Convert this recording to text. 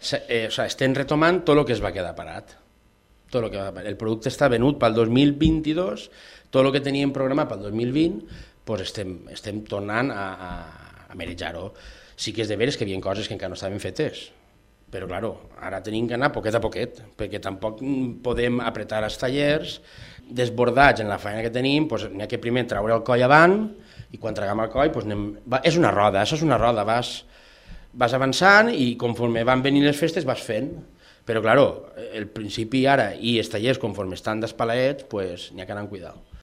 estem retomant tot el que es va quedar parat. El producte està venut pel 2022, tot el que teníem programat pel 2020, doncs estem tornant a manejar-ho. Sí que és de veres que hi havia coses que encara no estaven fetes, però claro, ara tenim que anar poquet a poquet, perquè tampoc podem apretar els tallers, desbordats en la feina que tenim, doncs n'hi ha que primer treure el coll avant, i quan traguem el coll, és una roda, això és una roda, vas avançant i conforme van venint les festes vas fent, però claro, el principi ara i els tallers conforme estan despalaets, n'hi ha que anar amb cuidado.